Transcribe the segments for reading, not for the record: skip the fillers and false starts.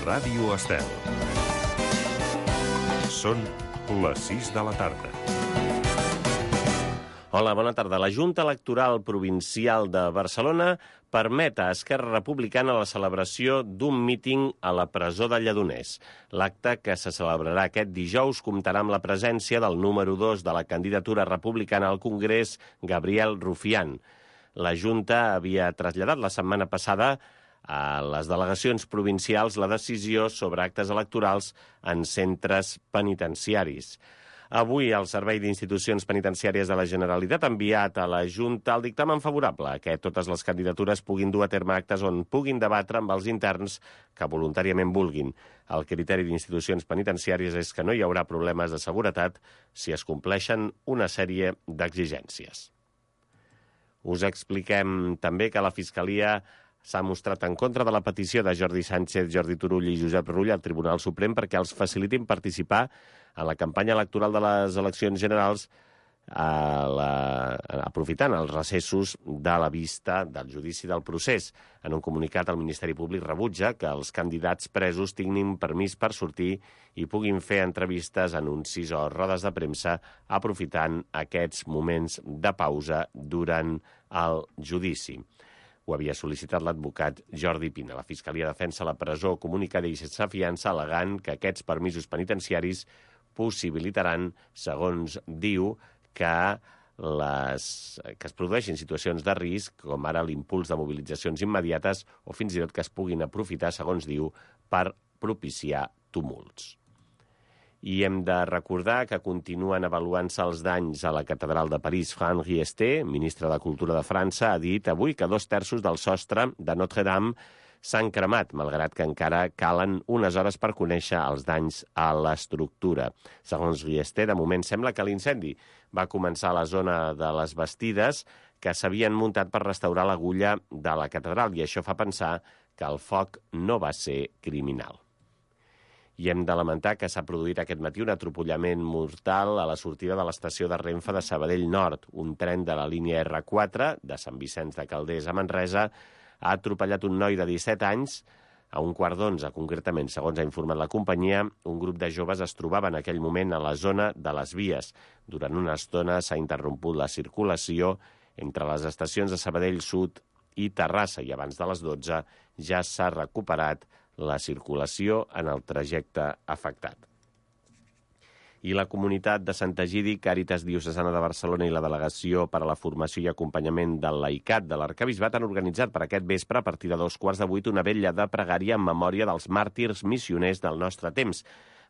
Ràdio Estel. Són les 6 de la tarda. Hola, bona tarda. La Junta Electoral Provincial de Barcelona permet a Esquerra Republicana la celebració d'un míting a la presó de Lledoners. L'acte, que se celebrarà aquest dijous, comptarà amb la presència del número 2 de la candidatura republicana al Congrés, Gabriel Rufián. La Junta havia traslladat la setmana passada a les delegacions provincials la decisió sobre actes electorals en centres penitenciaris. Avui el Servei d'Institucions Penitenciàries de la Generalitat ha enviat a la Junta el dictamen favorable a que totes les candidatures puguin dur a terme actes on puguin debatre amb els interns que voluntàriament vulguin. El criteri d'Institucions Penitenciàries és que no hi haurà problemes de seguretat si es compleixen una sèrie d'exigències. Us expliquem també que la Fiscalia s'ha mostrat en contra de la petició de Jordi Sánchez, Jordi Turull i Josep Rull al Tribunal Suprem perquè els facilitin participar en la campanya electoral de les eleccions generals aprofitant els recessos de la vista del judici del procés. En un comunicat, el Ministeri Públic rebutja que els candidats presos tinguin permís per sortir i puguin fer entrevistes, anuncis o rodes de premsa aprofitant aquests moments de pausa durant el judici. Ho havia sol·licitat l'advocat Jordi Pina. La Fiscalia defensa la presó comunicada i sense fiança, al·legant que aquests permisos penitenciaris possibilitaran, segons diu, que es produeixin situacions de risc, com ara l'impuls de mobilitzacions immediates o fins i tot que es puguin aprofitar, segons diu, per propiciar tumults. I hem de recordar que continuen avaluant-se els danys a la catedral de París. Franck Riester, ministre de Cultura de França, ha dit avui que 2/3 del sostre de Notre-Dame s'han cremat, malgrat que encara calen unes hores per conèixer els danys a l'estructura. Segons Riester, de moment sembla que l'incendi va començar a la zona de les bastides que s'havien muntat per restaurar l'agulla de la catedral, i això fa pensar que el foc no va ser criminal. I hem de lamentar que s'ha produït aquest matí un atropollament mortal a la sortida de l'estació de Renfe de Sabadell Nord. Un tren de la línia R4 de Sant Vicenç de Calders a Manresa ha atropellat un noi de 17 anys a 11:15, concretament, segons ha informat la companyia. Un grup de joves es trobava en aquell moment a la zona de les vies. Durant una estona s'ha interromput la circulació entre les estacions de Sabadell Sud i Terrassa i abans de les 12 ja s'ha recuperat la circulació en el trajecte afectat. I la comunitat de Sant Egidi, Càritas Diocesana de Barcelona i la Delegació per a la Formació i Acompanyament del Laicat de l'Arquebisbat han organitzat per aquest vespre, a partir de 7:15, una vetlla de pregària en memòria dels màrtirs missioners del nostre temps,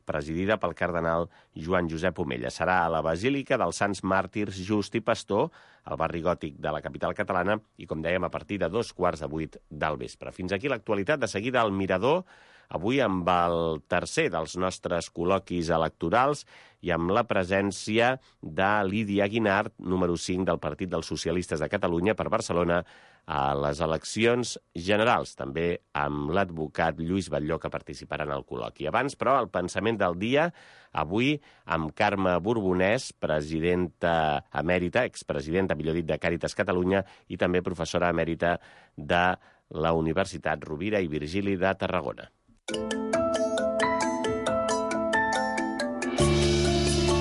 presidida pel cardenal Joan Josep Omella. Serà a la Basílica dels Sants Màrtirs Just i Pastor, al barri gòtic de la capital catalana, i, com dèiem, a partir de 7:15 del vespre. Fins aquí l'actualitat. De seguida al Mirador, avui amb el tercer dels nostres col·loquis electorals i amb la presència de Lídia Guinart, número 5 del Partit dels Socialistes de Catalunya per Barcelona, a les eleccions generals, també amb l'advocat Lluís Batlló, que participarà en el col·loqui. Abans, però, el pensament del dia, avui amb Carme Borbonès, presidenta emèrita, expresidenta, millor dit, de Càritas Catalunya i també professora emèrita de la Universitat Rovira i Virgili de Tarragona.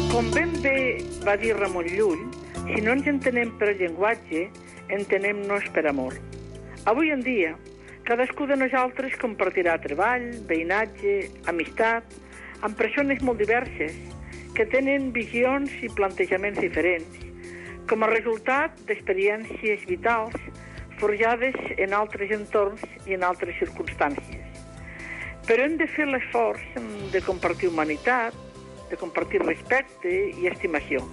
Com ben bé va dir Ramon Llull, si no ens entenem per llenguatge, entenem-nos per amor. Avui en dia, cadascú de nosaltres compartirà treball, veïnatge, amistat, amb persones molt diverses, que tenen visions i plantejaments diferents, com a resultat d'experiències vitals forjades en altres entorns i en altres circumstàncies. Però hem de fer l'esforç de compartir humanitat, de compartir respecte i estimació.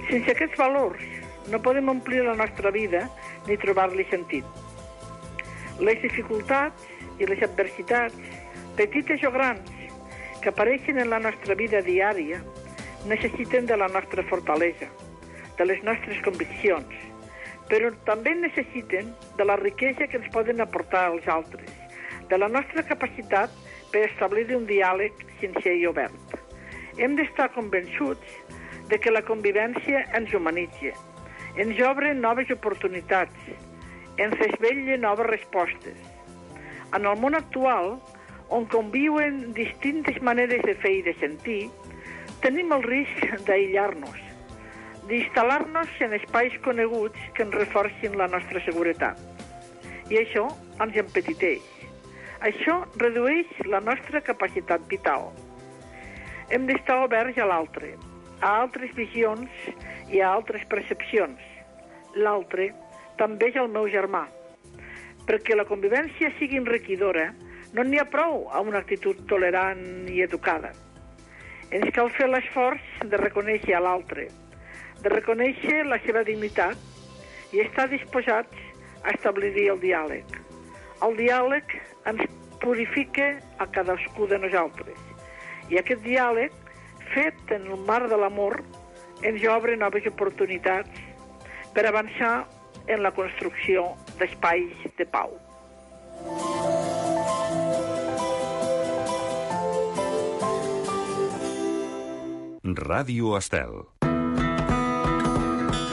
Sense aquests valors no podem omplir la nostra vida ni trobar-li sentit. Les dificultats i les adversitats, petites o grans, que apareixen en la nostra vida diària, necessiten de la nostra fortalesa, de les nostres conviccions, però també necessiten de la riquesa que ens poden aportar els altres, de la nostra capacitat per establir un diàleg sincer i obert. Hem d'estar convençuts de que la convivència ens humanitza, ens obre noves oportunitats, ens desvetlla noves respostes. En el món actual, on conviuen distintes maneres de fer i de sentir, tenim el risc d'aïllar-nos, d'instal·lar-nos en espais coneguts que ens reforcin la nostra seguretat. I això ens empetiteix. Això redueix la nostra capacitat vital. Hem d'estar oberts a l'altre, a altres visions i a altres percepcions. L'altre també és el meu germà. Perquè la convivència sigui enriquidora, no n'hi ha prou a una actitud tolerant i educada. Ens cal fer l'esforç de reconèixer a l'altre, de reconèixer la seva dignitat i estar disposats a establir el diàleg. El diàleg ens purifica a cadascú de nosaltres. I aquest diàleg, fet en el marc de l'amor, ens obre noves oportunitats per avançar en la construcció d'espais de pau. Ràdio Estel.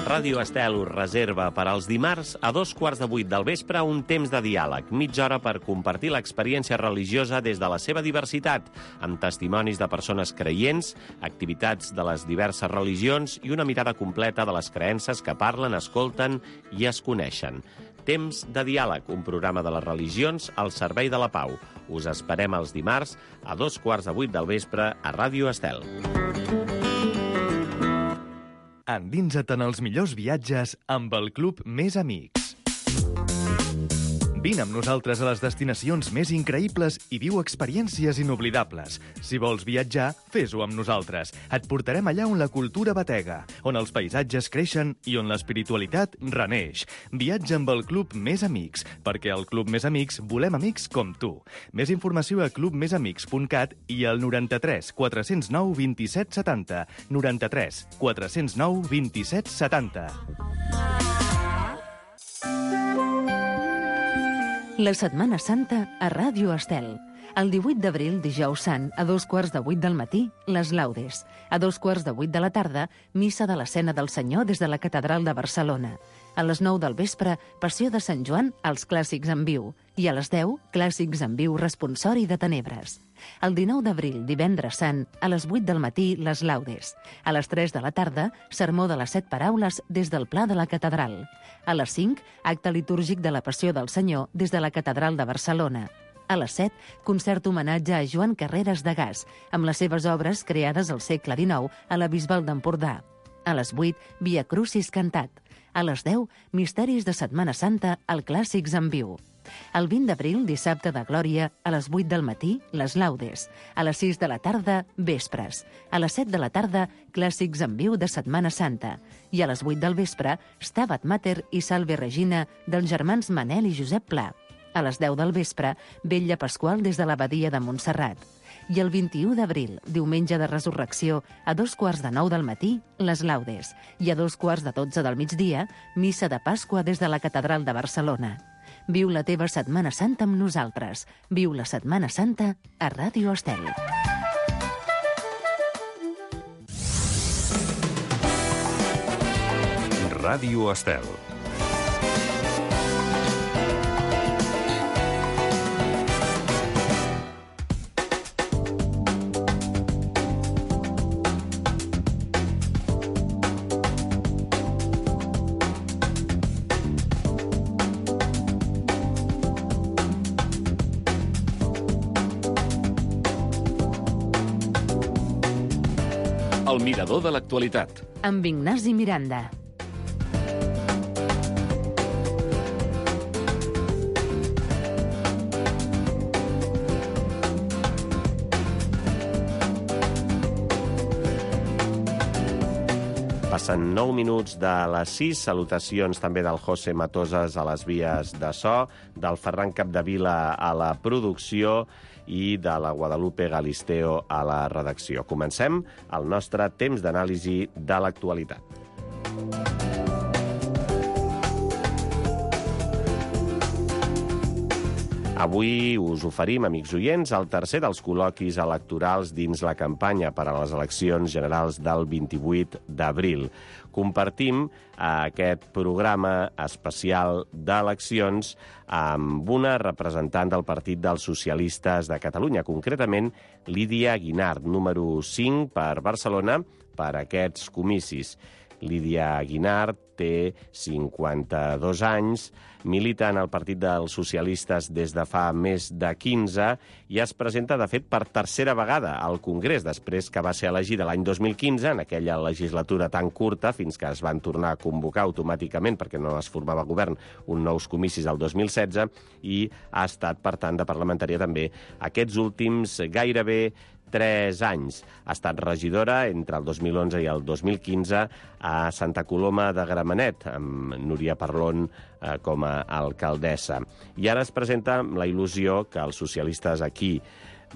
Ràdio Estel us reserva per als dimarts a 7:15 del vespre un temps de diàleg, mitja hora per compartir l'experiència religiosa des de la seva diversitat, amb testimonis de persones creients, activitats de les diverses religions i una mirada completa de les creences que parlen, escolten i es coneixen. Temps de diàleg, un programa de les religions al servei de la pau. Us esperem els dimarts a 7:15 del vespre a Ràdio Estel. Endinsa't en els millors viatges amb el Club Més Amics. Vine amb nosaltres a les destinacions més increïbles i viu experiències inoblidables. Si vols viatjar, fes-ho amb nosaltres. Et portarem allà on la cultura batega, on els paisatges creixen i on l'espiritualitat reneix. Viatja amb el Club Més Amics, perquè al Club Més Amics volem amics com tu. Més informació a clubmesamics.cat i al 93 409 27 70. 93 409 27 70. La Setmana Santa a Ràdio Estel. El 18 d'abril, dijous sant, a 7:15 del matí, les laudes. A 7:15 de la tarda, missa de l'escena del Senyor des de la Catedral de Barcelona. A les 9 del vespre, passió de Sant Joan, els clàssics en viu. I a les 10, clàssics en viu responsori de Tenebres. El 19 d'abril, divendres sant, a les 8 del matí, les laudes. A les 3 de la tarda, sermó de les 7 paraules des del Pla de la Catedral. A les 5, acte litúrgic de la Passió del Senyor des de la Catedral de Barcelona. A les 7, concert homenatge a Joan Carreras de Gas, amb les seves obres creades al segle XIX a la Bisbal d'Empordà. A les 8, Via Crucis cantat. A les 10, Misteris de Setmana Santa al Clàssics en viu. El 20 d'abril, dissabte de Glòria, a les 8 del matí, les laudes. A les 6 de la tarda, vespres. A les 7 de la tarda, clàssics en viu de Setmana Santa. I a les 8 del vespre, Stabat Mater i Salve Regina dels germans Manel i Josep Pla. A les 10 del vespre, Vetlla Pasqual des de l'Abadia de Montserrat. I el 21 d'abril, diumenge de Resurrecció, a 7:15 del matí, les laudes. I a 7:15 del migdia, missa de Pasqua des de la Catedral de Barcelona. Viu la teva Setmana Santa amb nosaltres. Viu la Setmana Santa a Ràdio Estel. Ràdio Estel. El mirador de l'actualitat. Amb Ignasi Miranda. Passen 9 minuts de les 6. Salutacions també del José Matosas a les vies de so, del Ferran Capdevila a la producció i de la Guadalupe Galisteo a la redacció. Comencem el nostre temps d'anàlisi de l'actualitat. Avui us oferim, amics oients, el tercer dels col·loquis electorals dins la campanya per a les eleccions generals del 28 d'abril. Compartim aquest programa especial d'eleccions amb una representant del Partit dels Socialistes de Catalunya, concretament Lídia Guinart, número 5 per Barcelona, per aquests comicis. Lídia Guinart té 52 anys, milita en el Partit dels Socialistes des de fa més de 15 i es presenta, de fet, per tercera vegada al Congrés, després que va ser elegida l'any 2015, en aquella legislatura tan curta, fins que es van tornar a convocar automàticament, perquè no es formava govern, uns nous comicis el 2016, i ha estat, per tant, de parlamentària també aquests últims gairebé 3 anys. Ha estat regidora entre el 2011 i el 2015 a Santa Coloma de Gramenet, amb Núria Parlon com a alcaldessa. I ara es presenta la il·lusió que els socialistes aquí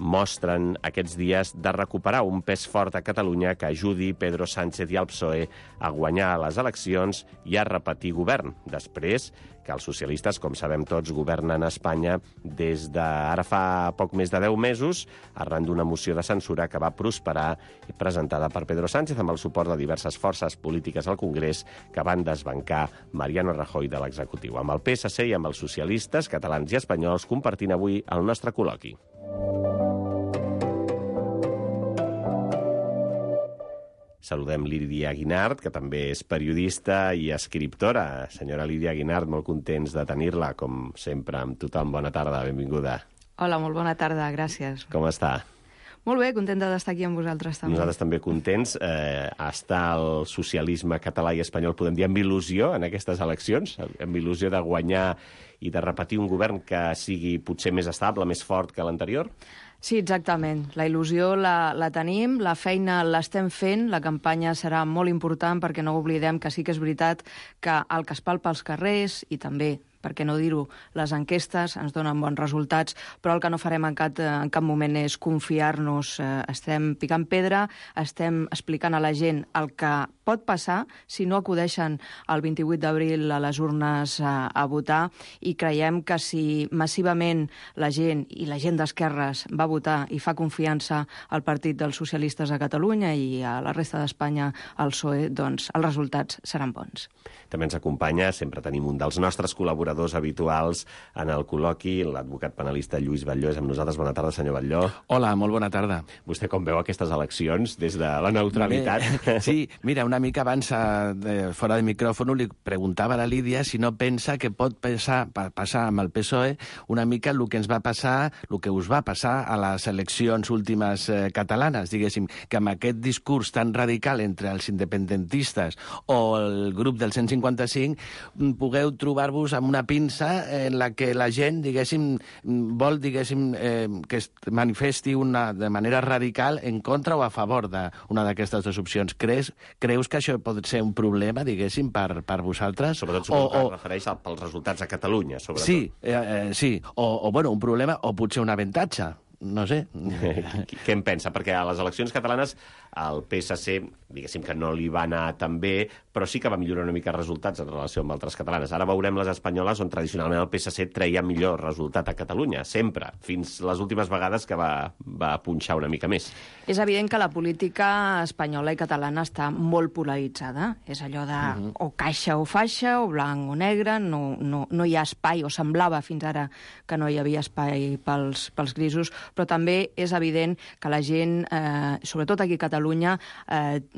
mostren aquests dies de recuperar un pes fort a Catalunya que ajudi Pedro Sánchez i el PSOE a guanyar les eleccions i a repetir govern, després que els socialistes, com sabem tots, governen a Espanya des d'ara fa poc més de 10 mesos, arran d'una moció de censura que va prosperar i presentada per Pedro Sánchez amb el suport de diverses forces polítiques al Congrés que van desbancar Mariano Rajoy de l'executiu. Amb el PSC i amb els socialistes catalans i espanyols compartint avui el nostre col·loqui. Saludem Lídia Guinart, que també és periodista i escriptora. Senyora Lídia Guinart, molt contents de tenir-la, com sempre, amb tothom. Bona tarda, benvinguda. Hola, molt bona tarda, gràcies. Com està? Molt bé, contenta d'estar aquí amb vosaltres també. Nosaltres també contents. Està el socialisme català i espanyol, podem dir, amb il·lusió en aquestes eleccions, amb il·lusió de guanyar i de repetir un govern que sigui potser més estable, més fort que l'anterior? Sí, exactament. La il·lusió la tenim, la feina l'estem fent, la campanya serà molt important perquè no oblidem que sí que és veritat que el que es palpa als carrers i també, per què no dir-ho, les enquestes ens donen bons resultats, però el que no farem en cap moment és confiar-nos. Estem picant pedra, estem explicant a la gent el que pot passar si no acudeixen el 28 d'abril a les urnes a votar i creiem que si massivament la gent i la gent d'esquerres va votar i fa confiança al Partit dels Socialistes de Catalunya i a la resta d'Espanya al PSOE, doncs els resultats seran bons. També ens acompanya, sempre tenim un dels nostres col·laboradors habituals en el col·loqui, l'advocat penalista Lluís Batlló. És amb nosaltres. Bona tarda, senyor Batlló. Hola, molt bona tarda. Vostè com veu aquestes eleccions des de la neutralitat? Sí, mira, una mica abans, fora de micròfon, li preguntava a la Lídia si no pensa que pot passar amb el PSOE una mica el que ens va passar, el que us va passar a les eleccions últimes catalanes, diguéssim, que amb aquest discurs tan radical entre els independentistes o el grup del 155 pugueu trobar-vos amb una pinça en la que la gent, diguéssim, vol, diguéssim, que es manifesti de manera radical en contra o a favor d'una d'aquestes dues opcions. Creus que això pot ser un problema, diguéssim, per vosaltres? Sobretot suposo que es refereix pels resultats a Catalunya, sobretot. Sí, sí. O bueno, un problema o potser un avantatge. No sé. Què en pensa? Perquè a les eleccions catalanes el PSC, diguéssim que no li va anar tan bé, però sí que va millorar una mica els resultats en relació amb altres catalanes. Ara veurem les espanyoles on tradicionalment el PSC treia millor resultat a Catalunya, sempre, fins les últimes vegades que va punxar una mica més. És evident que la política espanyola i catalana està molt polaritzada. És allò de o caixa o faixa, o blanc o negre, no hi ha espai, o semblava fins ara que no hi havia espai pels grisos, però també és evident que la gent, sobretot aquí a Catalunya,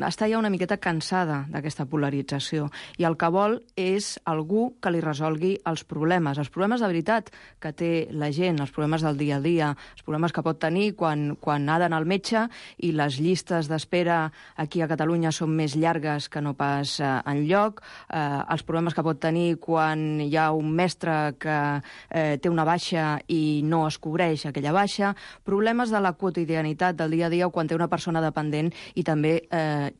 està ja una miqueta cansada d'aquesta polarització i el que vol és algú que li resolgui els problemes de veritat que té la gent, els problemes del dia a dia, els problemes que pot tenir quan ha d'anar al metge i les llistes d'espera aquí a Catalunya són més llargues que no pas enlloc, els problemes que pot tenir quan hi ha un mestre que té una baixa i no es cobreix aquella baixa, problemes de la quotidianitat del dia a dia o quan té una persona dependent i també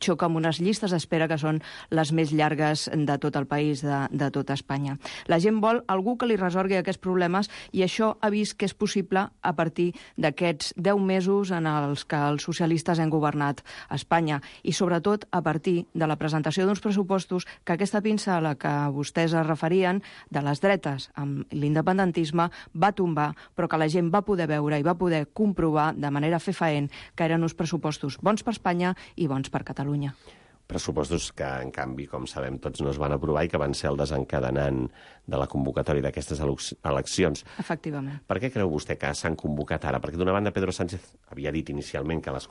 xoca amb unes llistes d'espera que són les més llargues de tot el país, de tota Espanya. La gent vol algú que li resolgui aquests problemes i això ha vist que és possible a partir d'aquests 10 mesos en els que els socialistes han governat Espanya i sobretot a partir de la presentació d'uns pressupostos que aquesta pinça a la que vostès es referien de les dretes amb l'independentisme va tombar, però que la gent va poder veure i va poder comprovar de manera fefaent que eren uns pressupostos bons per Espanya i bons per Catalunya. Pressupostos que, en canvi, com sabem tots, no es van aprovar i que van ser el desencadenant de la convocatòria d'aquestes eleccions. Efectivament. Per què creu vostè que s'han convocat ara? Perquè d'una banda Pedro Sánchez havia dit inicialment que les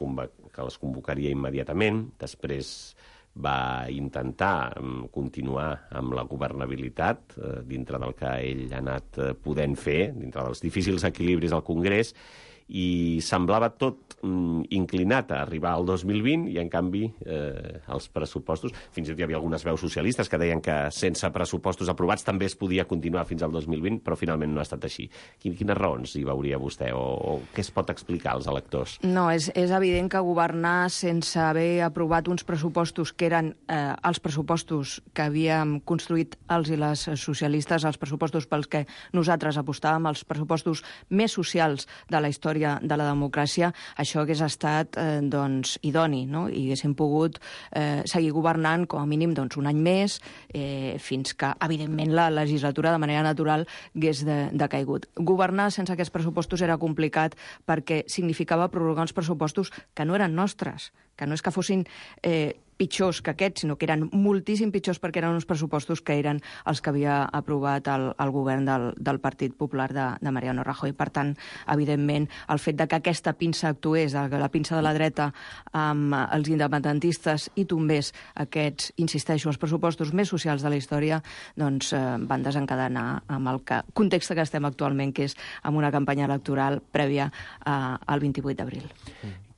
convocaria immediatament, després va intentar continuar amb la governabilitat dintre del que ell ha anat podent fer, dintre dels difícils equilibris al Congrés, i semblava tot inclinat a arribar al 2020 i, en canvi, els pressupostos... Fins i tot hi havia algunes veus socialistes que deien que sense pressupostos aprovats també es podia continuar fins al 2020, però finalment no ha estat així. Quines raons hi veuria vostè o què es pot explicar als electors? No, és evident que governar sense haver aprovat uns pressupostos que eren els pressupostos que havíem construït els i les socialistes, els pressupostos pels que nosaltres apostàvem, els pressupostos més socials de la història de la democràcia, això hagués estat idoni, no? I haguéssim pogut seguir governant com a mínim un any més, fins que, evidentment, la legislatura de manera natural hagués decaigut. Governar sense aquests pressupostos era complicat perquè significava prorrogar uns pressupostos que no eren nostres, que no és que fossin pitjors que aquests, sinó que eren moltíssim pitjors perquè eren uns pressupostos que eren els que havia aprovat el govern del Partit Popular de Mariano Rajoy. Per tant, evidentment, el fet de que aquesta pinça actués, la pinça de la dreta amb els independentistes i tombés aquests, insisteixo, els pressupostos més socials de la història, doncs van desencadenar amb el context que estem actualment, que és amb una campanya electoral prèvia al 28 d'abril.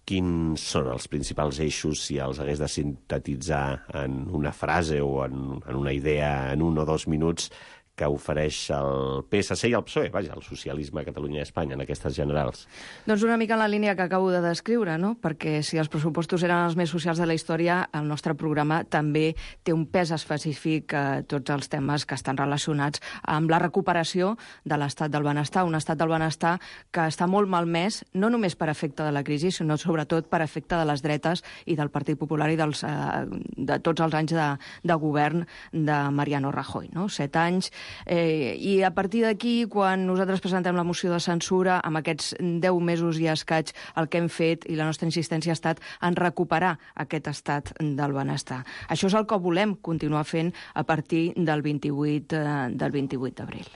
Quins són els principals eixos, si els hagués de sintetitzar en una frase o en una idea en 1 o 2 minuts, que ofereix el PSC i el PSOE, vaja, el socialisme a Catalunya i Espanya en aquestes generals? Doncs una mica en la línia que acabo de descriure, no? Perquè si els pressupostos eren els més socials de la història, el nostre programa també té un pes específic a tots els temes que estan relacionats amb la recuperació de l'estat del benestar, un estat del benestar que està molt malmès, no només per efecte de la crisi, sinó sobretot per efecte de les dretes i del Partit Popular i de tots els anys de govern de Mariano Rajoy, no? 7 anys. I a partir d'aquí, quan nosaltres presentem la moció de censura, amb aquests 10 mesos i escaig, el que hem fet i la nostra insistència ha estat en recuperar aquest estat del benestar. Això és el que volem continuar fent a partir del 28 d'abril.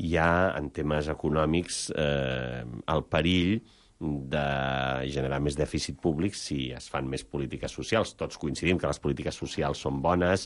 Hi ha, en temes econòmics, el perill de generar més dèficit públic si es fan més polítiques socials. Tots coincidim que les polítiques socials són bones,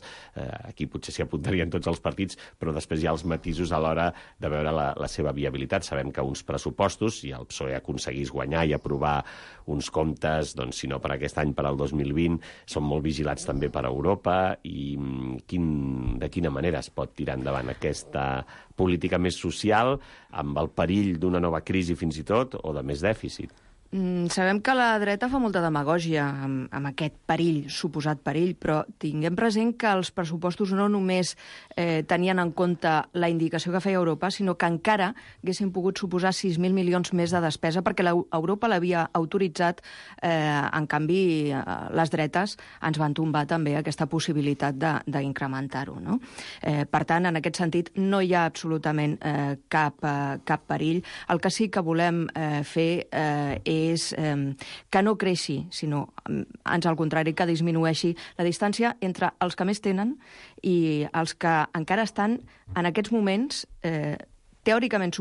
aquí potser s'hi apuntarien tots els partits, però després hi ha els matisos a l'hora de veure la seva viabilitat. Sabem que uns pressupostos, si el PSOE aconseguís guanyar i aprovar uns comptes, doncs, si no per aquest any, per al 2020, són molt vigilats també per Europa, i de quina manera es pot tirar endavant aquesta política més social amb el perill d'una nova crisi fins i tot o de més dèficit? Sabem que la dreta fa molta demagògia amb aquest perill, suposat perill, però tinguem present que els pressupostos no només tenien en compte la indicació que feia Europa, sinó que encara haguessin pogut suposar 6.000 milions més de despesa, perquè Europa l'havia autoritzat, en canvi les dretes ens van tombar també aquesta possibilitat d'incrementar-ho, no? Per tant, en aquest sentit, no hi ha absolutament cap perill. El que sí que volem fer és que no creixi, sinó, ans al contrari, que disminueixi la distància entre els que més tenen i els que encara estan en aquests moments teòricament,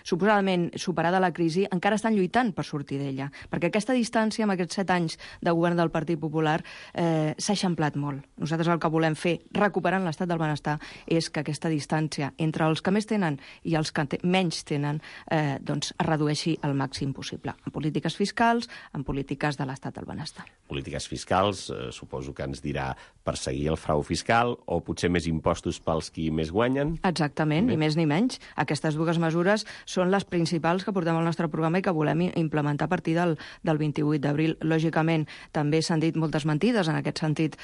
suposadament superada la crisi, encara estan lluitant per sortir d'ella. Perquè aquesta distància, amb aquests 7 anys de govern del Partit Popular, s'ha eixamplat molt. Nosaltres el que volem fer, recuperant l'estat del benestar, és que aquesta distància entre els que més tenen i els que menys tenen doncs es redueixi al màxim possible. En polítiques fiscals, en polítiques de l'estat del benestar. Polítiques fiscals, suposo que ens dirà perseguir el frau fiscal o potser més impostos pels qui més guanyen? Exactament, ni més ni menys. Aquestes dues mesures són les principals que portem al nostre programa i que volem implementar a partir del 28 d'abril. Lògicament, també s'han dit moltes mentides en aquest sentit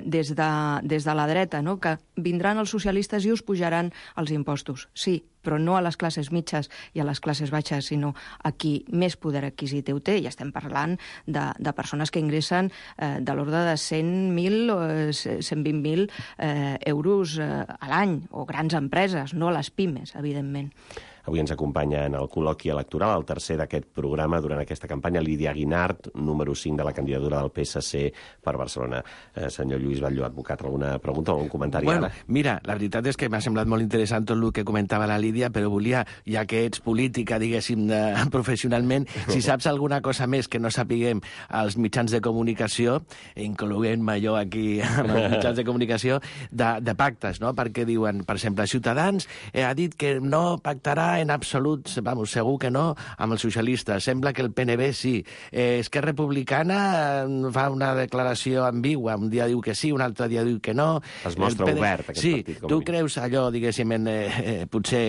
des de la dreta, no? Que vindran els socialistes i us pujaran els impostos. Sí, però no a les classes mitges i a les classes baixes, sinó a qui més poder adquisitiu té. I estem parlant de persones que ingressen de l'ordre de 100.000 o 120.000 euros a l'any, o grans empreses, no les pimes, evidentment. Avui ens acompanya en el col·loqui electoral, el tercer d'aquest programa durant aquesta campanya, Lídia Guinart, número 5 de la candidatura del PSC per Barcelona. Senyor Lluís Batlló, advocat, alguna pregunta o algun comentari? Bueno, mira, la veritat és que m'ha semblat molt interessant tot el que comentava la Lídia, però volia, ja que ets política, diguéssim, professionalment, si saps alguna cosa més que no sapiguem als mitjans de comunicació, incloent-me jo aquí amb els mitjans de comunicació, de pactes, no? Perquè diuen, per exemple, Ciutadans ha dit que no pactarà en absolut, vamos, segur que no, amb els socialistes. Sembla que el PNB sí. Esquerra Republicana fa una declaració ambigua. Un dia diu que sí, un altre dia diu que no. Es mostra obert, aquest partit. Sí, tu creus allò, diguéssim, potser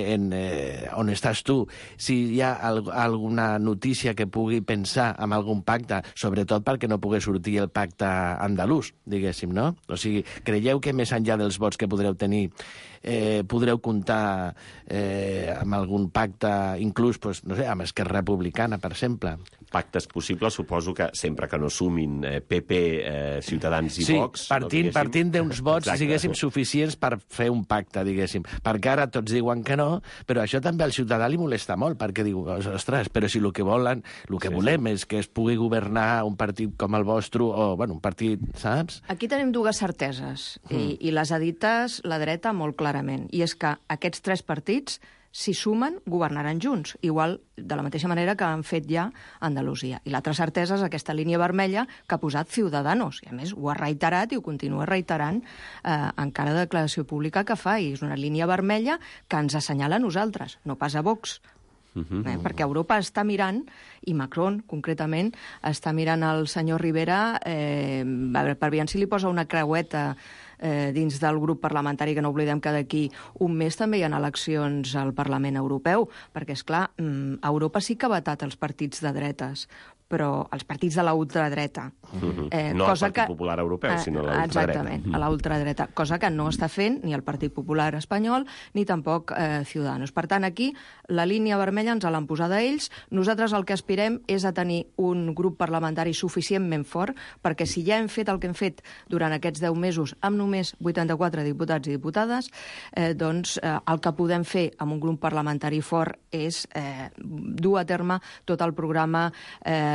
on estàs tu, si hi ha alguna notícia que pugui pensar en algun pacte, sobretot perquè no pugui sortir el pacte andalús, diguéssim, no? O sigui, creieu que més enllà dels vots que podreu tenir podreu comptar amb algun pacte, inclús, doncs, no sé, amb Esquerra Republicana, per exemple? Pactes possibles, suposo que sempre que no sumin PP, Ciutadans i Vox... Sí, partint d'uns vots, diguéssim, suficients per fer un pacte, diguéssim. Perquè ara tots diuen que no, però això també al ciutadà li molesta molt, perquè diu, ostres, però si el que volen, el que volem és que es pugui governar un partit com el vostre, o, bueno, un partit, saps? Aquí tenim dues certeses, i les ha dites la dreta molt clarament, i és que aquests tres partits, si sumen, governaran junts, igual de la mateixa manera que han fet ja a Andalusia. I l'altra certesa és aquesta línia vermella que ha posat Ciudadanos, i a més ho ha reiterat i ho continua reiterant en cada declaració pública que fa, i és una línia vermella que ens assenyala a nosaltres, no pas a Vox. Perquè Europa està mirant, i Macron, concretament, està mirant el senyor Rivera per veure si li posa una creueta dins del grup parlamentari, que no oblidem que d'aquí un mes també hi ha eleccions al Parlament Europeu, perquè, és clar, Europa sí que ha vetat els partits de dretes, però els partits de la ultradreta. No el Partit Popular Europeu, sinó la ultradreta. Exactament, a la ultradreta, cosa que no està fent ni el Partit Popular espanyol ni tampoc Ciudadanos. Per tant, aquí la línia vermella ens l'han posada ells. Nosaltres el que aspirem és a tenir un grup parlamentari suficientment fort, perquè si ja hem fet el que hem fet durant aquests 10 mesos amb només 84 diputats i diputades, doncs el que podem fer amb un grup parlamentari fort és dur a terme tot el programa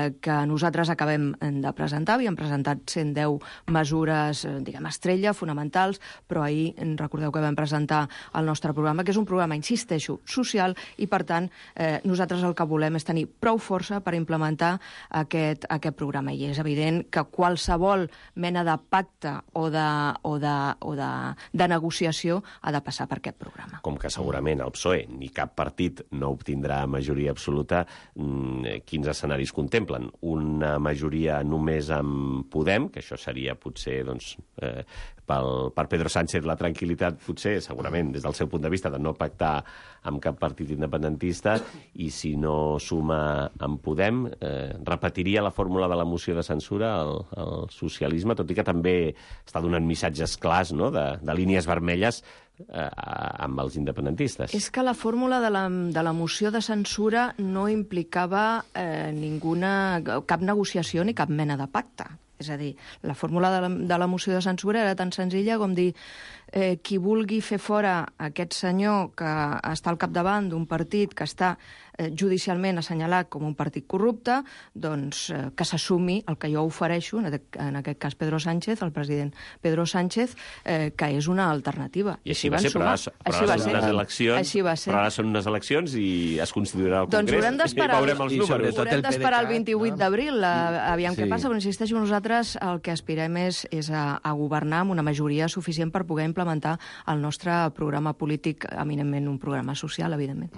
que nosaltres acabem de presentar. Havíem presentat 110 mesures, diguem, estrella, fonamentals, però ahir recordeu que vam presentar el nostre programa, que és un programa, insisteixo, social, i per tant nosaltres el que volem és tenir prou força per implementar aquest programa. I és evident que qualsevol mena de pacte o de negociació ha de passar per aquest programa. Com que segurament el PSOE ni cap partit no obtindrà majoria absoluta, quins escenaris contemplen? Una majoria només amb Podem, que això seria potser, doncs, per Pedro Sánchez la tranquil·litat, potser, segurament, des del seu punt de vista, de no pactar amb cap partit independentista, i si no suma amb Podem, repetiria la fórmula de la moció de censura al socialisme, tot i que també està donant missatges clars, no?, de línies vermelles amb els independentistes. És que la fórmula de la moció de censura no implicava cap negociació ni cap mena de pacte. És a dir, la fórmula de la moció de censura era tan senzilla com dir qui vulgui fer fora aquest senyor que està al capdavant d'un partit que està judicialment assenyalat com un partit corrupte, doncs que s'assumi el que jo ofereixo, en aquest cas Pedro Sánchez, el president Pedro Sánchez, que és una alternativa. I així va ser, però ara són unes eleccions i es constituirà el Congrés i veurem els números. Haurem d'esperar el 28 d'abril, aviam què passa, però insisteixo, nosaltres el que aspirem és a governar amb una majoria suficient per poder implementar implementar el nostre programa polític, eminentment un programa social, evidentment.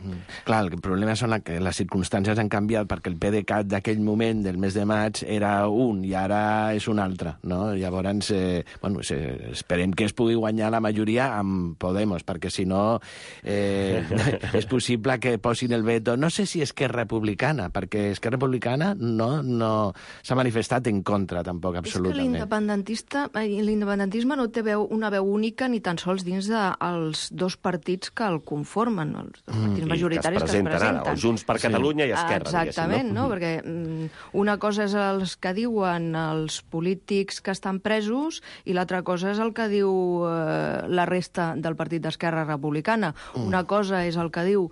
Clar, el problema són que les circumstàncies han canviat perquè el PDeCAT d'aquell moment, del mes de maig, era un i ara és un altre, no? Llavors, esperem que es pugui guanyar la majoria amb Podemos, perquè si no és possible que posin el veto. No sé si Esquerra Republicana, perquè Esquerra Republicana no s'ha manifestat en contra, tampoc, absolutament. És que l'independentisme no té una veu única ni tan sols dins dels dos partits que el conformen, els dos partits majoritaris que es presenten. Ara, o Junts per Catalunya i Esquerra, exactament, no? Perquè una cosa és els que diuen els polítics que estan presos i l'altra cosa és el que diu la resta del partit d'Esquerra Republicana. Una cosa és el que diu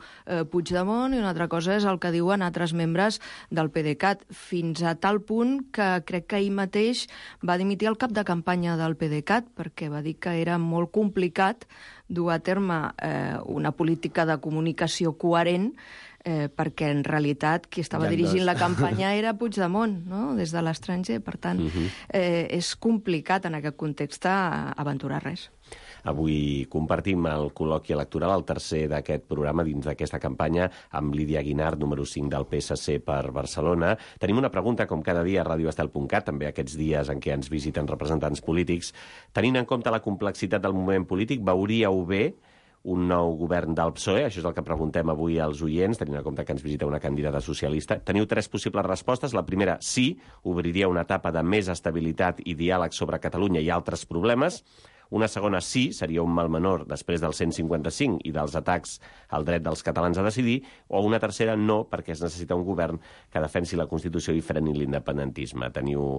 Puigdemont i una altra cosa és el que diuen altres membres del PDeCAT, fins a tal punt que crec que ahir mateix va dimitir el cap de campanya del PDeCAT perquè va dir que era molt complicat dur a terme una política de comunicació coherent perquè en realitat qui estava dirigint la campanya era Puigdemont, no? Des de l'estranger. Per tant, és complicat en aquest context aventurar res. Avui compartim el col·loqui electoral, el tercer d'aquest programa dins d'aquesta campanya, amb Lídia Guinart, número 5 del PSC per Barcelona. Tenim una pregunta, com cada dia, a radioestel.cat, també aquests dies en què ens visiten representants polítics. Tenint en compte la complexitat del moment polític, veuríeu bé un nou govern del PSOE? Això és el que preguntem avui als oients, tenint en compte que ens visita una candidata socialista. Teniu 3 possibles respostes. La primera, sí, obriria una etapa de més estabilitat i diàleg sobre Catalunya i altres problemes. Una segona, sí, seria un mal menor després del 155 i dels atacs al dret dels catalans a decidir. O una tercera, no, perquè es necessita un govern que defensi la Constitució i freni l'independentisme. Teniu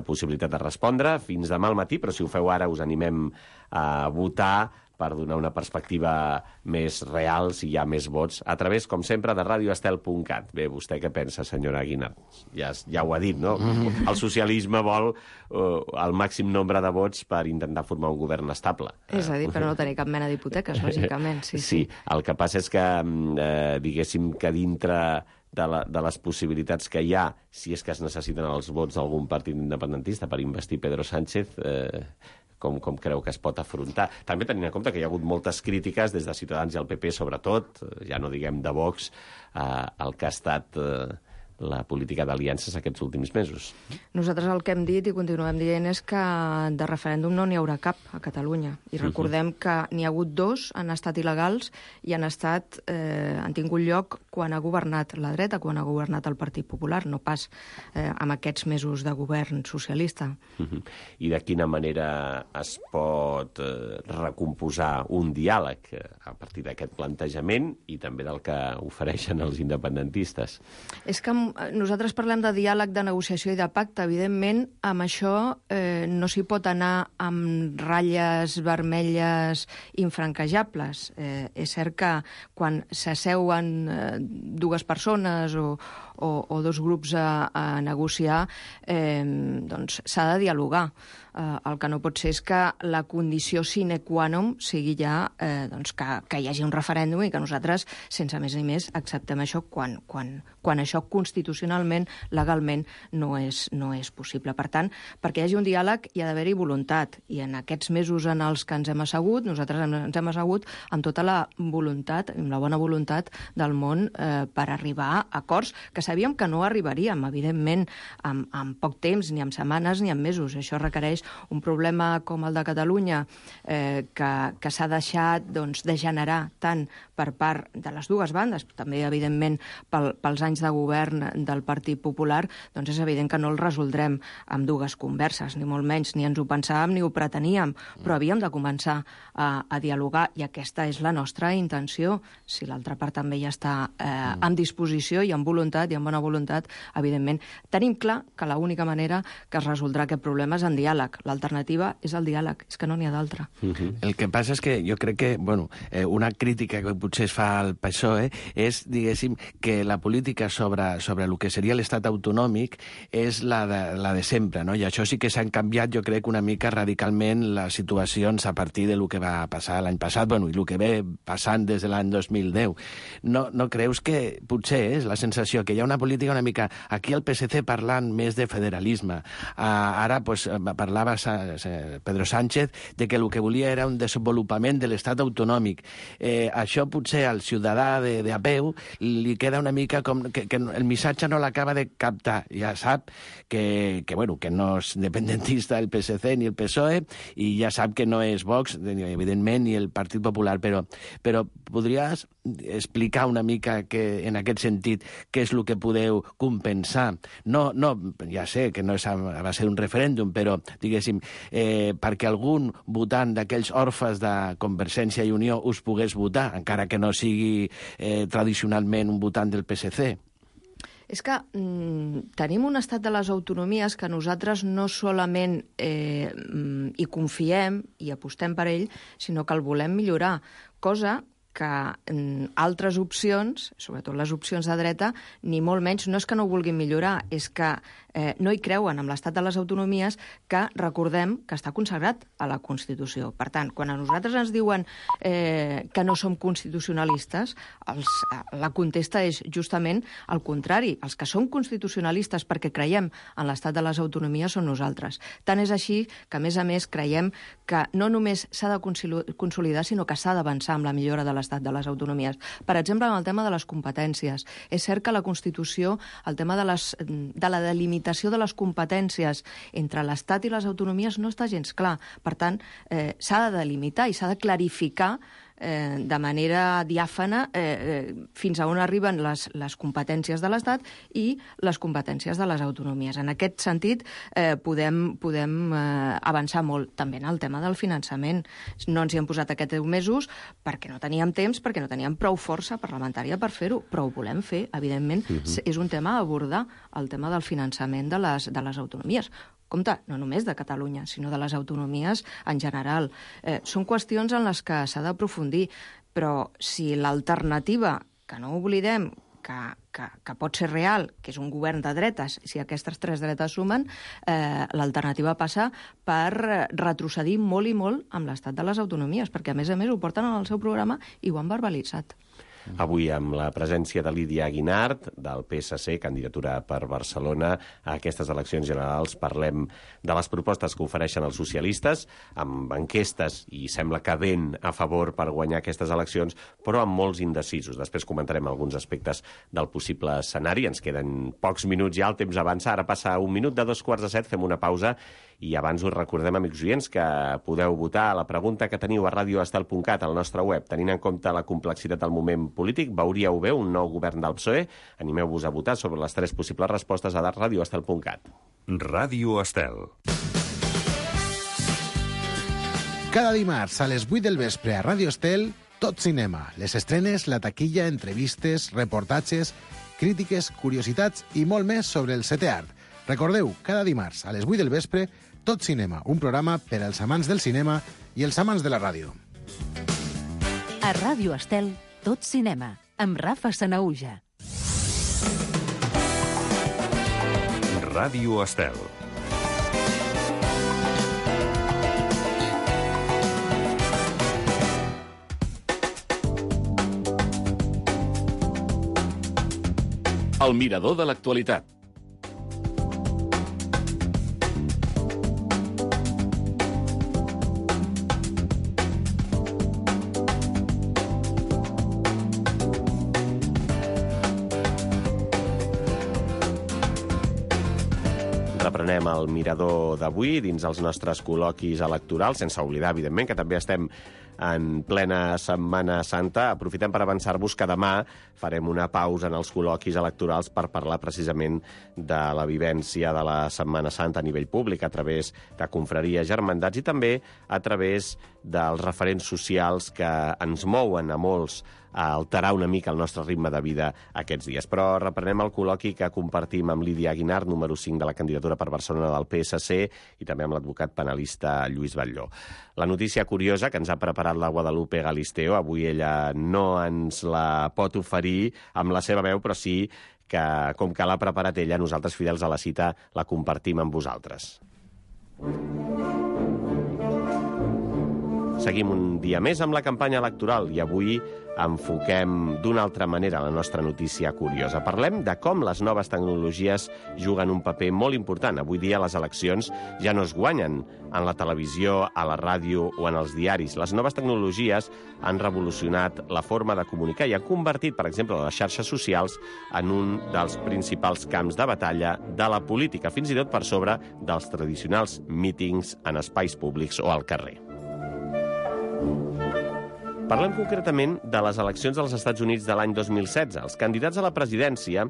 possibilitat de respondre fins demà al matí, però si ho feu ara us animem a votar per donar una perspectiva més real, si hi ha més vots, a través, com sempre, de radioestel.cat. Bé, vostè què pensa, senyora Guinart? Ja ho ha dit, no? El socialisme vol el màxim nombre de vots per intentar formar un govern estable. És a dir, però no tenir cap mena d'hipoteques, lògicament. Sí, el que passa és que, diguéssim, que dintre de les possibilitats que hi ha, si és que es necessiten els vots d'algun partit independentista per investir Pedro Sánchez, com creu que es pot afrontar. També tenint en compte que hi ha hagut moltes crítiques des de Ciutadans i el PP, sobretot, ja no diguem de Vox, el que ha estat la política d'aliances aquests últims mesos. Nosaltres el que hem dit i continuem dient és que de referèndum no n'hi haurà cap a Catalunya. I recordem que n'hi ha hagut 2, han estat il·legals i han tingut lloc quan ha governat la dreta, quan ha governat el Partit Popular, no pas amb aquests mesos de govern socialista. I de quina manera es pot recomposar un diàleg a partir d'aquest plantejament i també del que ofereixen els independentistes? És que nosaltres parlem de diàleg, de negociació i de pacte. Evidentment, amb això no s'hi pot anar amb ratlles vermelles infranquejables. És cert que quan s'asseuen 2 persones o 2 grups a negociar, doncs s'ha de dialogar. El que no pot ser és que la condició sine qua non sigui ja que hi hagi un referèndum i que nosaltres, sense més ni més, acceptem això quan això constitucionalment, legalment, no és possible. Per tant, perquè hi hagi un diàleg hi ha d'haver-hi voluntat. I en aquests mesos en els que ens hem assegut, nosaltres ens hem assegut amb tota la voluntat, amb la bona voluntat del món per arribar a acords que sabíem que no arribaríem, evidentment, en poc temps, ni en setmanes ni en mesos. Això requereix un problema com el de Catalunya que s'ha deixat degenerar tant per part de les dues bandes, també, evidentment, pels anys de govern del Partit Popular, doncs és evident que no el resoldrem amb 2 converses, ni molt menys, ni ens ho pensàvem ni ho preteníem, però havíem de començar a dialogar i aquesta és la nostra intenció. Si l'altra part també ja està en disposició i amb voluntat i amb bona voluntat, evidentment, tenim clar que l'única manera que es resoldrà aquest problema és en diàleg. L'alternativa és el diàleg, és que no n'hi ha d'altra. El que passa és que jo crec que, una crítica que potser es fa al PSOE és, diguéssim, que la política sobre sobre el que seria l'estat autonòmic és la de sempre, no? I això sí que s'han canviat, jo crec, una mica radicalment les situacions a partir de lo que va passar l'any passat, bueno, i el que ve passant des de l'any 2010. No creus que potser és la sensació que hi ha una política una mica... Aquí el PSC parlant més de federalisme. Ara pues, parlava Pedro Sánchez de que el que volia era un desenvolupament de l'estat autonòmic. Això potser al ciutadà de a peu li queda una mica com que el missatge no l'acaba de captar. Ja sap que no és independentista el PSC ni el PSOE i ja sap que no és Vox, evidentment, ni el Partit Popular, però podries explicar una mica en aquest sentit què és el que podeu compensar? No, ja sé que no va ser un referèndum, però, diguéssim, perquè algun votant d'aquells orfes de Convergència i Unió us pogués votar, encara que no sigui tradicionalment un votant del PSC. És que tenim un estat de les autonomies que nosaltres no solament hi confiem i apostem per ell, sinó que el volem millorar, cosa que altres opcions, sobretot les opcions de dreta, ni molt menys, no és que no ho vulguin millorar, és que no hi creuen amb l'estat de les autonomies, que recordem que està consagrat a la Constitució. Per tant, quan a nosaltres ens diuen que no som constitucionalistes, la contesta és justament el contrari. Els que som constitucionalistes perquè creiem en l'estat de les autonomies són nosaltres. Tant és així que, a més, creiem que no només s'ha de consolidar, sinó que s'ha d'avançar amb la millora de l'estat de les autonomies. Per exemple, en el tema de les competències. És cert que la Constitució, el tema de la delimitació de les competències entre l'Estat i les autonomies no està gens clar. Per tant, s'ha de delimitar i s'ha de clarificar de manera diàfana fins a on arriben les competències de l'Estat i les competències de les autonomies. En aquest sentit, podem avançar molt. També en el tema del finançament. No ens hi hem posat aquests 10 mesos perquè no teníem temps, perquè no teníem prou força parlamentària per fer-ho, però ho volem fer, evidentment. És un tema a abordar, el tema del finançament de les autonomies. Compte, no només de Catalunya, sinó de les autonomies en general. Són qüestions en les que s'ha d'aprofundir, però si l'alternativa, que no oblidem, que pot ser real, que és un govern de dretes, si aquestes 3 dretes sumen, l'alternativa passa per retrocedir molt i molt amb l'estat de les autonomies, perquè a més ho porten en el seu programa i ho han verbalitzat. Avui amb la presència de Lídia Guinart, del PSC, candidatura per Barcelona a aquestes eleccions generals, parlem de les propostes que ofereixen els socialistes, amb enquestes, i sembla que ben a favor per guanyar aquestes eleccions, però amb molts indecisos. Després comentarem alguns aspectes del possible escenari. Ens queden pocs minuts ja, el temps avança. Ara passa 1 minut de 2:45, fem una pausa i abans us recordem, amics oients, que podeu votar a la pregunta que teniu a radioestel.cat, al nostre web. Tenint en compte la complexitat del moment polític, veuríeu bé un nou govern del PSOE? Animeu-vos a votar sobre les 3 possibles respostes a radioestel.cat. Ràdio Estel. Cada dimarts a les 8 del vespre a Ràdio Estel, tot cinema. Les estrenes, la taquilla, entrevistes, reportatges, crítiques, curiositats i molt més sobre el 7è art. Recordeu, cada dimarts a les 8 del vespre, Tot cinema, un programa per als amants del cinema i els amants de la ràdio. A Ràdio Estel, Tot cinema, amb Rafa Sanahuja. Ràdio Estel. El mirador de l'actualitat. Reprenem el mirador d'avui dins els nostres col·loquis electorals, sense oblidar, evidentment, que també estem en plena Setmana Santa. Aprofitem per avançar-vos que demà farem una pausa en els col·loquis electorals per parlar precisament de la vivència de la Setmana Santa a nivell públic, a través de confraries, germandats i també a través dels referents socials que ens mouen a molts a alterar una mica el nostre ritme de vida aquests dies. Però reprenem el col·loqui que compartim amb Lídia Guinart, número 5 de la candidatura per Barcelona del PSC, i també amb l'advocat penalista Lluís Batlló. La notícia curiosa que ens ha preparat preparat la Guadalupe Galisteo. Avui ella no ens la pot oferir amb la seva veu, però sí que, com que l'ha preparat ella, nosaltres, fidels a la cita, la compartim amb vosaltres. Seguim un dia més amb la campanya electoral i avui enfoquem d'una altra manera la nostra notícia curiosa. Parlem de com les noves tecnologies juguen un paper molt important. Avui dia les eleccions ja no es guanyen en la televisió, a la ràdio o en els diaris. Les noves tecnologies han revolucionat la forma de comunicar i han convertit, per exemple, les xarxes socials en un dels principals camps de batalla de la política, fins i tot per sobre dels tradicionals mítings en espais públics o al carrer. Parlem concretament de les eleccions dels Estats Units de l'any 2016. Els candidats a la presidència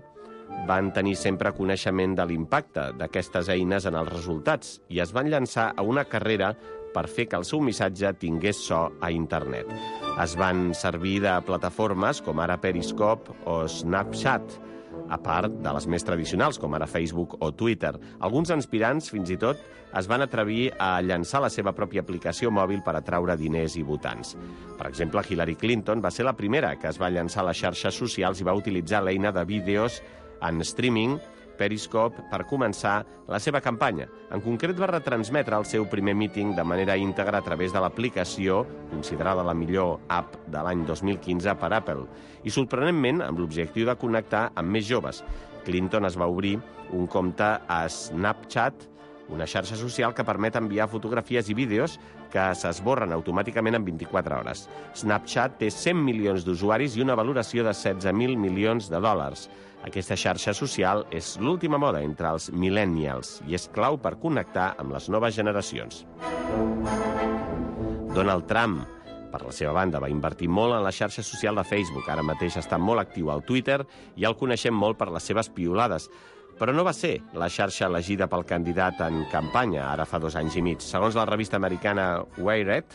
van tenir sempre coneixement de l'impacte d'aquestes eines en els resultats i es van llançar a una carrera per fer que el seu missatge tingués so a internet. Es van servir de plataformes com ara Periscope o Snapchat, a part de les més tradicionals, com ara Facebook o Twitter. Alguns aspirants, fins i tot, es van atrevir a llançar la seva pròpia aplicació mòbil per atraure diners i votants. Per exemple, Hillary Clinton va ser la primera que es va llançar a les xarxes socials i va utilitzar l'eina de vídeos en streaming Periscope per començar la seva campanya. En concret, va retransmetre el seu primer míting de manera íntegra a través de l'aplicació, considerada la millor app de l'any 2015 per Apple, i sorprenentment amb l'objectiu de connectar amb més joves. Clinton es va obrir un compte a Snapchat, una xarxa social que permet enviar fotografies i vídeos que s'esborren automàticament en 24 hores. Snapchat té 100 milions d'usuaris i una valoració de 16.000 milions de dòlars. Aquesta xarxa social és l'última moda entre els millennials i és clau per connectar amb les noves generacions. Donald Trump, per la seva banda, va invertir molt en la xarxa social de Facebook. Ara mateix està molt actiu al Twitter i el coneixem molt per les seves piulades. Però no va ser la xarxa elegida pel candidat en campanya, ara fa 2 anys i mig. Segons la revista americana Wired,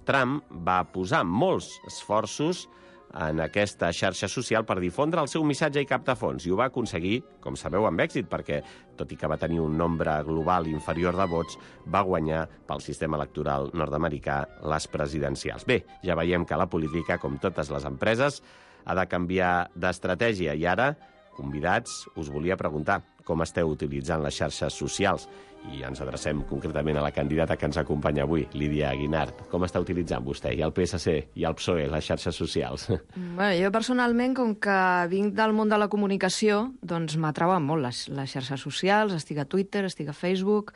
Trump va posar molts esforços en aquesta xarxa social per difondre el seu missatge i captar fons, i ho va aconseguir, com sabeu, amb èxit, perquè, tot i que va tenir un nombre global inferior de vots, va guanyar pel sistema electoral nord-americà les presidencials. Bé, ja veiem que la política, com totes les empreses, ha de canviar d'estratègia, i ara, convidats, us volia preguntar com esteu utilitzant les xarxes socials. I ens adrecem concretament a la candidata que ens acompanya avui, Lídia Guinart. Com està utilitzant vostè i el PSC i el PSOE les xarxes socials? Bé, jo personalment, com que vinc del món de la comunicació, doncs m'atrauen molt les xarxes socials. Estic a Twitter, estic a Facebook,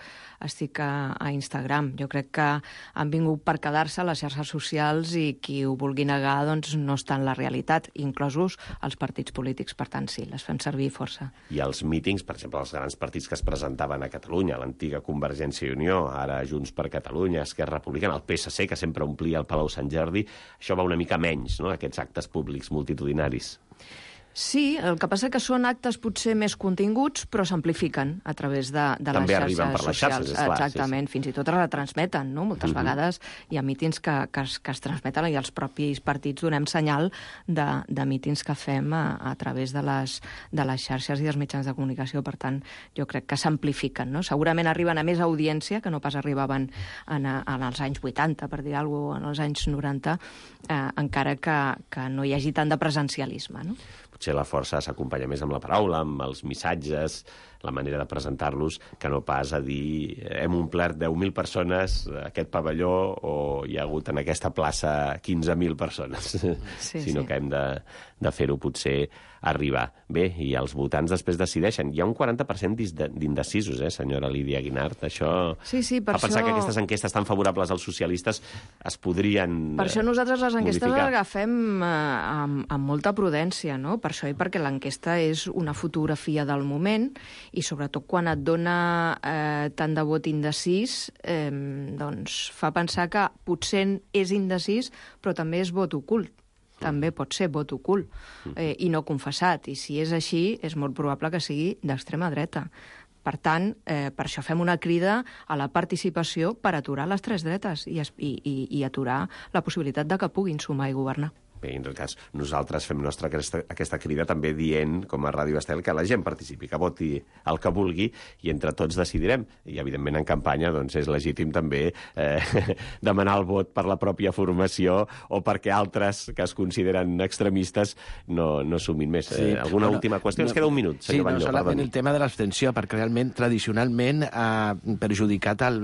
estic a Instagram. Jo crec que han vingut per quedar-se les xarxes socials i qui ho vulgui negar doncs no està en la realitat, inclosos els partits polítics. Per tant, sí, les fem servir força. I els mítings, per exemple, els grans partits que es presentaven a Catalunya, l'antiga Convergència i Unió, ara Junts per Catalunya, Esquerra Republicana, el PSC, que sempre omplia el Palau Sant Jordi, això va una mica menys, no?, aquests actes públics multitudinaris. Sí, el que passa que són actes potser més continguts, però s'amplifiquen a través de les xarxes socials. També arriben per les xarxes, és clar. Exactament, sí. Fins i tot es retransmeten, no? Moltes vegades hi ha mítings que es transmeten i els propis partits donem senyal de mítings que fem a través de les xarxes i dels mitjans de comunicació. Per tant, jo crec que s'amplifiquen, no? Segurament arriben a més audiència que no pas arribaven en els anys 80, per dir alguna cosa, en els anys 90, encara que no hi hagi tant de presencialisme, no? Potser la força s'acompanya més amb la paraula, amb els missatges, la manera de presentar-los, que no pas a dir hem omplert 10.000 persones aquest pavelló o hi ha hagut en aquesta plaça 15.000 persones, sinó que hem de fer-ho potser arribar. Bé, i els votants després decideixen. Hi ha un 40% d'indecisos, senyora Lídia Guinart. Això fa pensar que aquestes enquestes tan favorables als socialistes es podrien Per això nosaltres les enquestes modificar. les agafem amb molta prudència, no? Per això i perquè l'enquesta és una fotografia del moment i sobretot quan et dona tant de vot indecís, doncs fa pensar que potser és indecís però també és vot ocult. També pot ser vot ocult i no confessat. I si és així, és molt probable que sigui d'extrema dreta. Per tant, per això fem una crida a la participació per aturar les tres dretes i aturar la possibilitat de que puguin sumar i governar. Bé, en tot cas, nosaltres fem nostra aquesta crida també dient, com a Ràdio Estel, que la gent participi, que voti el que vulgui i entre tots decidirem. I, evidentment, en campanya doncs, és legítim també demanar el vot per la pròpia formació o perquè altres que es consideren extremistes no sumin més. Sí. Alguna última qüestió? Ens queda un minut, senyor Batlló. Sí, solament el tema de l'abstenció, perquè realment, tradicionalment, ha perjudicat el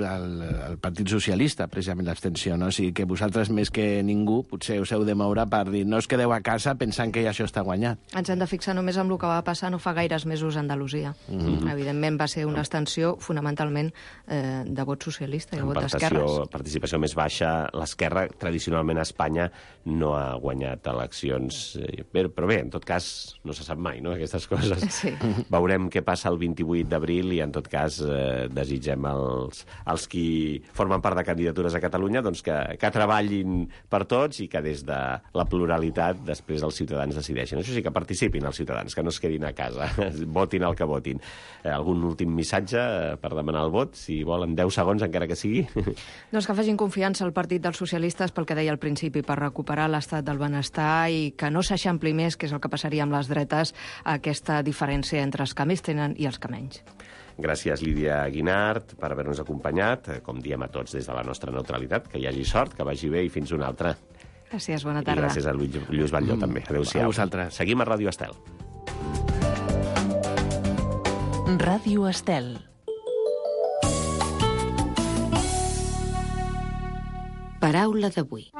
Partit Socialista, precisament l'abstenció, no? O sigui que vosaltres, més que ningú, potser us heu de moure per dir no us quedeu a casa pensant que ja això està guanyat. Ens hem de fixar només en el que va passar no fa gaires mesos a Andalusia. Evidentment va ser una abstenció fonamentalment de vot socialista i de vot d'esquerres. Participació més baixa. L'esquerra, tradicionalment a Espanya, no ha guanyat eleccions. Però bé, en tot cas, no se sap mai, no?, aquestes coses. Sí. Veurem què passa el 28 d'abril i, en tot cas, desitgem als qui formen part de candidatures a Catalunya doncs que treballin per tots i que des de la pluralitat després els ciutadans decideixen. Això sí, que participin els ciutadans, que no es quedin a casa, votin el que votin. Algun últim missatge per demanar el vot, si volen 10 segons encara que sigui? Doncs que facin confiança al Partit dels Socialistes pel que deia al principi, per recuperar l'estat del benestar i que no s'eixampli més, que és el que passaria amb les dretes, aquesta diferència entre els que més tenen i els que menys. Gràcies, Lídia Guinart, per haver-nos acompanyat. Com diem a tots des de la nostra neutralitat, que hi hagi sort, que vagi bé i fins una altra. Gràcies, bona tarda. I gràcies a Lluís Batlló, també. Adéu-siau. A vosaltres. Seguim a Ràdio Estel. Ràdio Estel. Paraula d'avui.